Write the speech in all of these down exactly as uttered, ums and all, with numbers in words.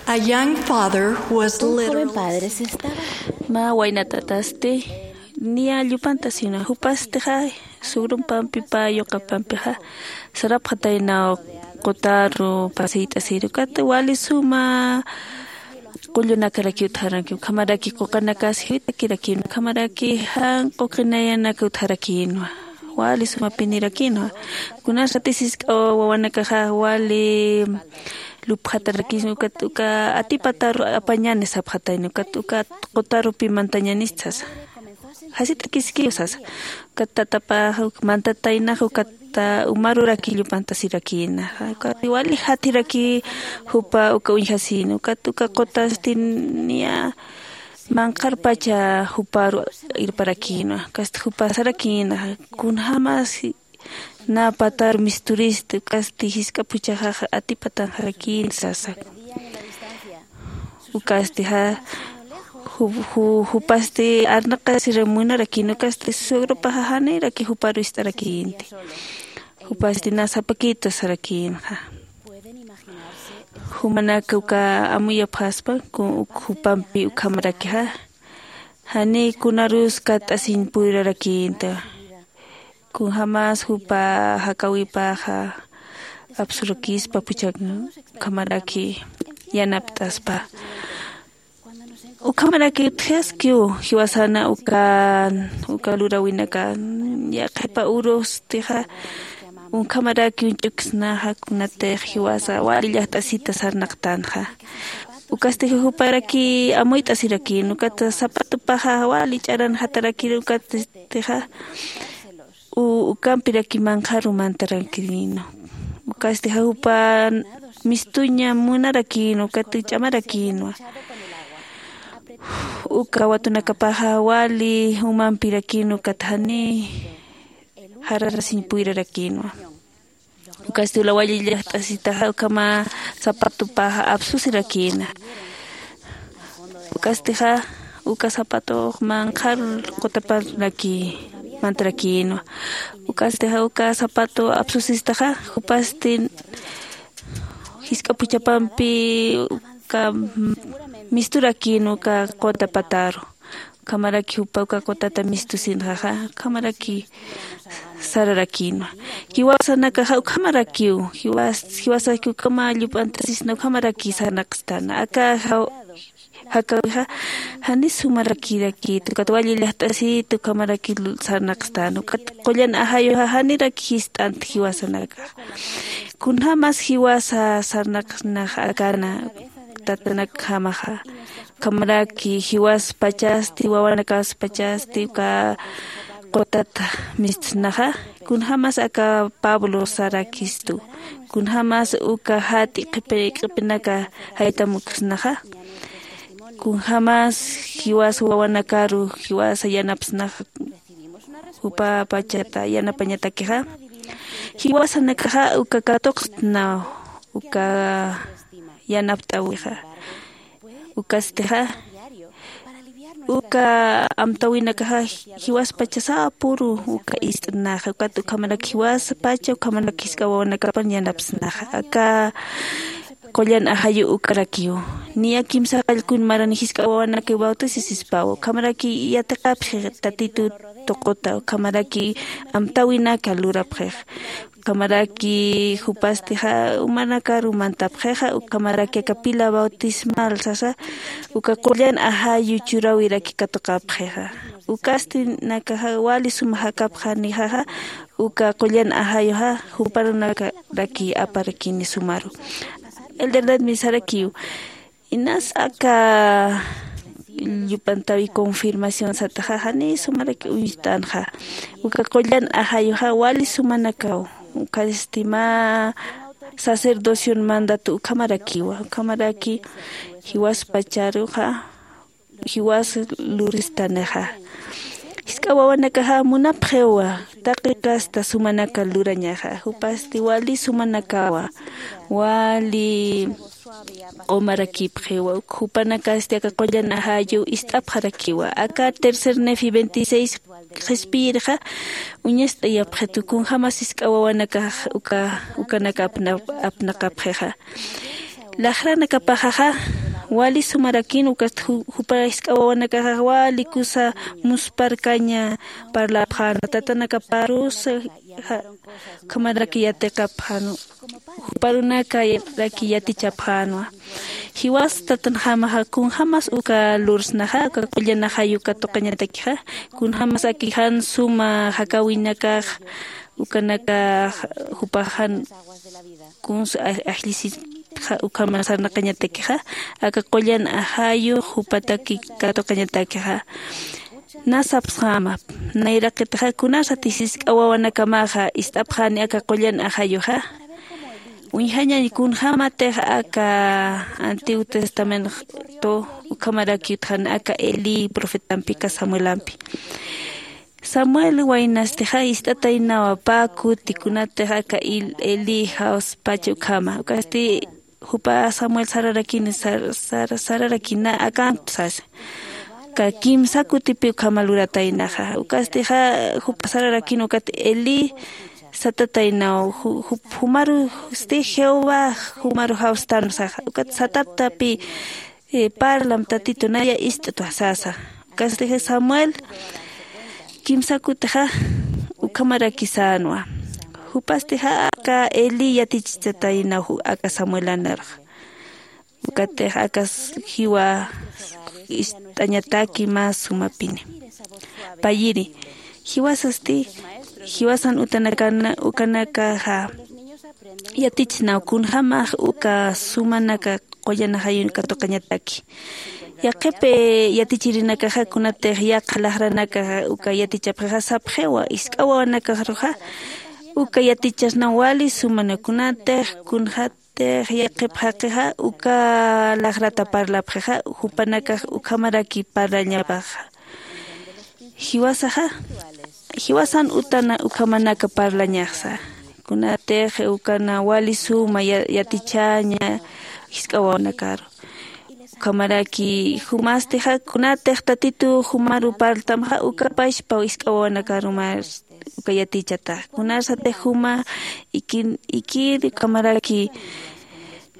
A young father was literally padre se estaba. Mä wayna tatasti niya llupantasina, jupastixa sugrumpampi pä yuqapampixa sarapxataynaw qutaru pasiyt'asir ukat wali suma qullunakarakiw utjaranki, ukhamaraki quqanakas jiwitakirakin, ukhamaraki jan quqinayanaka utjarakinwa, wali suma pinirakinwa. Kunas ratisisk'a wawanakaxa wali lupxatarakin ukat uka atipataru apañani sapxatayna ukat uka qutarupi mantañanista sasa. Jasitakiskiw sasa. Ukat tatapax mantataynax ukat umaruraki llupantasirakina, ukat wali jathiraki jupa uka uñjasina ukat uka qutastin niya manqharpacha juparu irparakina. Ukasti jupa sarakina, kunjämas nä patar misturisti ukasti jisk'a phuchhaxaxa atipatanxarakïnti sasa. Ukastixa ju- ju- jupasti arnaqasir munarakïn ukasti suegrupaxa janiraki juparu ist'arakïnti. Jupasti nä sapakitu sarakïnxa. Jumanaka uka amuyapxaspa ku- jupampi ukhamarakixa janiy kunarus katt'asiñ puyrarakïnta. Kunjämas jupa jakäwipaxa apsurakispa phuchhak ukhamaraki yanapt'aspa. Ukhamaraki utjaskiw jiwasana uka uka luräwinaka yaqhipa urustixa unkhamaraki uñch'uksnaxa kunatix jiwasa wali llajt'asita sarnaqtanxa. Ukastix juparaki amuyt'asirakïn ukat zapatopaxa wali ch'aranxatarakir ukatstixa u- ukampiraki manqharu mantarakïnwa. Ukastixa jupa mistuña munarakïnwa ukat ch'amarakïnwa. Uka watunakapaxa wali umampirakïnwa ukat janiy jararasiñ puyrarakïnwa. Ukasti ula wali llajt'asitaxa ukhama zapatopaxa apsusirakïna. Ukastixa uka zapatox manqhar qutaparaki mantarakïnwa. Ukastixa uka zapato apsusistaxa jupasti jisk'a phuchhapampi uka misturakïnwa uka quta pataru. Ukhamaraki jupa uka qutata mistusinxaxa ukhamaraki sararakïnwa. Jiwasanakaxa ukhamarakiw jiwas- jiwasaki ukhama llup'antasisna ukhamaraki sarnaqstana aka jaw- jakäwixa jani sumarakirakït ukat wali llajt'asït ukhamaraki sarnaqstana ukat qullan ajayuxa janiraki jist'ant jiwasanakaxa. Kunjämas jiwasa sarnaqsnax akana tatanakjamaxa ukhamaraki jiwaspachasti wawanakäspachasti uka qutata mistsnaxa. Kunjämas aka pablo sarakistu kunjämas uka jat'i qhipi q'ipinaka jaytamuksnaxa. Kunjämas jiwas wawanakaru jiwasa yanapsnaxa. Jupa pachata yanapañatakixa jiwasanakaxa uka katuqstnaw uka yanapt'äwixa. Ukastixa uka amtäwinakaxa jiwaspacha sapüru uka ist'naxa ukat ukhamaraki jiwaspacha ukhamaraki jisk'a wawanakapan yanapsnaxa aka qullan ajayu ukarakiw. Niya kimsa qallkun marani jisk'a wawanakaw bautisisispaw ukhamaraki yatiqapxi tatitu tuquta ukhamaraki amtäwinaka lurapxix. Ukhamaraki jupastixa umanakaru mantapxixa ukhamaraki aka pila bautismal sasa uka qullan ajayu churäwiraki katuqapxixa. Ukasti nakaxa wali suma jakapxanixaxa uka qullan ajayuxa juparunakaraki aparakini sumaru. Elder David sarakiw inas aka llup'antäwi confirmación sataxa jani sumaraki uñst'anxa. Uka qullan ajayuxa wali sumanakaw ukasti mä sacerdocion mandatu ukhamarakiwa ukhamaraki jiwaspacharuxa jiwas luristanixa. Jisk'a wawanakaxa munapxiwa taqi casta sumanaka lurañaxa jupasti wali sumanakawa wali q'umarakipxiwa. Jupanakasti aka qullan ajayu ist'apxarakiwa aka tercer nefi veintiséis qhispiyirxa uñast'ayapxitu kunjämas jisk'a wawanakax uka ukanaka apna apnaqapxixa. Laxranakapaxaxa Wali sumarakin ukast ju- jupa jisk'a wawanakaxax wali kusa musparkaña parlapxänwa tatanakaparusa. Ukhamaraki yatiqapxänwa, juparunakarakiw yatichapxänwa. Jiwas tatanjamaxa kunjämas uka lursnaxa uka qullan ajayu katuqañatakixa, kunjämas aki jan suma jakäwinakax ukanakax jupax jan kunsa aj- ajllisitxa ukhama sarnaqañatakixa, aka qullan ajayu jupataki katuqañatakixa. Na sapsxäma, nayraqitixa kunasati jisk'a wawanakamaxa ist'apxäni aka qullan ajayuxa. Uñjañañ kunjämatix aka Antiguo Testamento ukhamaraki utjani aka Elí profetampi aka Samuelampi. Samuel waynastixa ist'ataynawa pä kuti kunatix aka Il- Elí jawspacha ukhama. Ukasti jupa Samuel sararakini sar- sar- sararakina akantu sasa. Ka kimsa kutipi ukhama lurataynaxa. Ukastixa jupa sararakini ukat Elí satataynaw ju- ju- jumarusti Jehová jumaru jawstänwa sasa. Ukat sataptapi eh, parlam tatitu naya ist'twa sasa. Ukastix Samuel kimsa kutixa ukhamaraki sänwa. Jupastixa aka Elí yatichchataynaw aka Samuelanarux. Ukatix akas jiwa ist'añataki mä sumapini. Payiri, jiwasasti, jiwasan utanakana ukanakaxa yatichsnaw kunjämax uka sumanaka qullan ajayun katuqañataki. Yaqhip yatichirinakaxa kunatix yaqha laxranakaxa uka yatichapxixa sapxiwa jisk'a wawanakaxaruxa uka yatichasnaw wali sumana kunatix kunxatix yaqhip jaqixa uka laxrata parlapxixa jupanakax ukhamaraki parlañapaxa. Jiwasaxa jiwasan utana ukhamanaka parlañaxsa. Kunatix ukana wali suma ya- yatichaña jisk'a wawanakaru. Ukhamaraki jumastixa kunatix tatitu jumaru parltamxa uka pachpa jisk'a wawanakaru mä uka yatichatax. Kunasatix juma ikin ikir ukhamaraki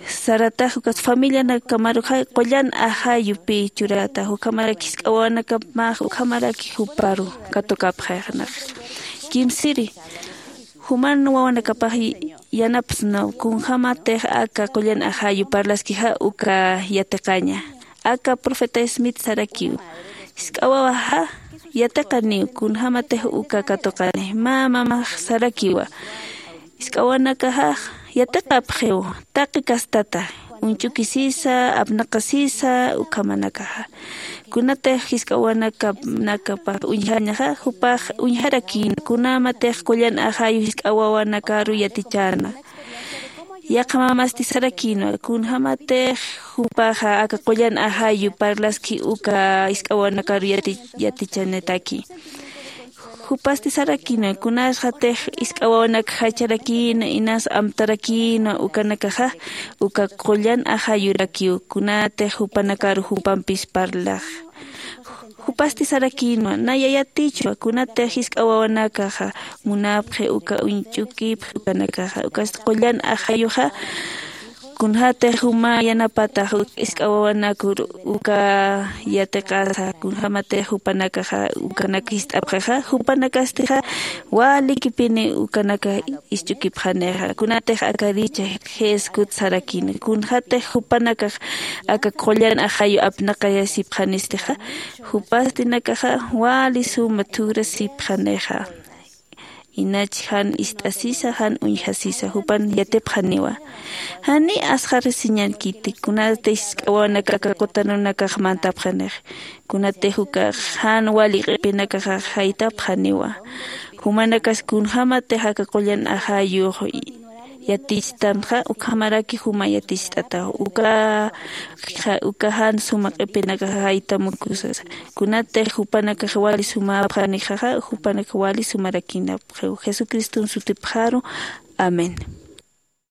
saratax ukas familianakamaruxa qullan ajayupi churatax ukhamaraki jisk'a wawanakamax ukhamaraki juparu katukapxaxnax. Kimsiri, juman wawanakapax yanapsnaw kunjämatix aka qullan ajayu parlaskixa uka yatiqaña. Aka profeta Smith sarakiw, jisk'a wawaxa yatiqaniw kunjämatix uka katuqani. Mä mamax sarakiwa, jisk'a wawanakaxax yatiqapxiw taqi kastata, uñch'ukisisa, apnaqasisa ukhamanakaxa. Kunatix jisk'a wawanakapax uñjañaxa jupax uñjarakïna kunjämatix qullan ajayu jisk'a wawanakaru yatichäna. Yaqha mamasti sarakïnwa kunjämatix jupaxa aka qullan ajayu parlaski uka jisk'a wawanakaru yati- yatichanitaki. Jupasti sarakïnwa kunasxatix jisk'a wawanak jacharakïna inas amtarakïna ukanakaxa uka qullan ajayurakiw kunatix jupanakaru jupampis parlax. Jupasti sarakïnwa naya yatichwa kunatix jisk'a wawanakaxa munapxi uka uñch'ukipxi ukanakaxa ukasti qullan ajayuxa. Kunjätix juma yanapatax jisk'a wawanakur uka yatiqasa kunjämatix jupanakaxa ukanak jist'apxixa jupanakastixa walikipini ukanaka isch'ukipxanixa kunatix aka richa jeskut sarakini kunjätix jupanakax aka qullan ajayu apnaqayasipxanistixa jupastinakaxa wali suma thurasipxanixa. Inach jan ist'asisa jan uñjasisa jupan yatipxaniwa. Jani asxarisiñankiti kunatix jisk'a wawanaka aka qutanunakax mantapxanix kunatix ukax jan wali q'ipinakaxax jaytapxaniwa. Jumanakas kunjämatix aka qullan ajayux yatichtamxa ukhamaraki juma yaticht'ataw uka uka jan suma q'ipinakax jaytamukusasa. Kunatix jupanakax wali sumapxanixaxa jupanakax wali sumarakïnapxiw jesucriston sutipxaru. Amén.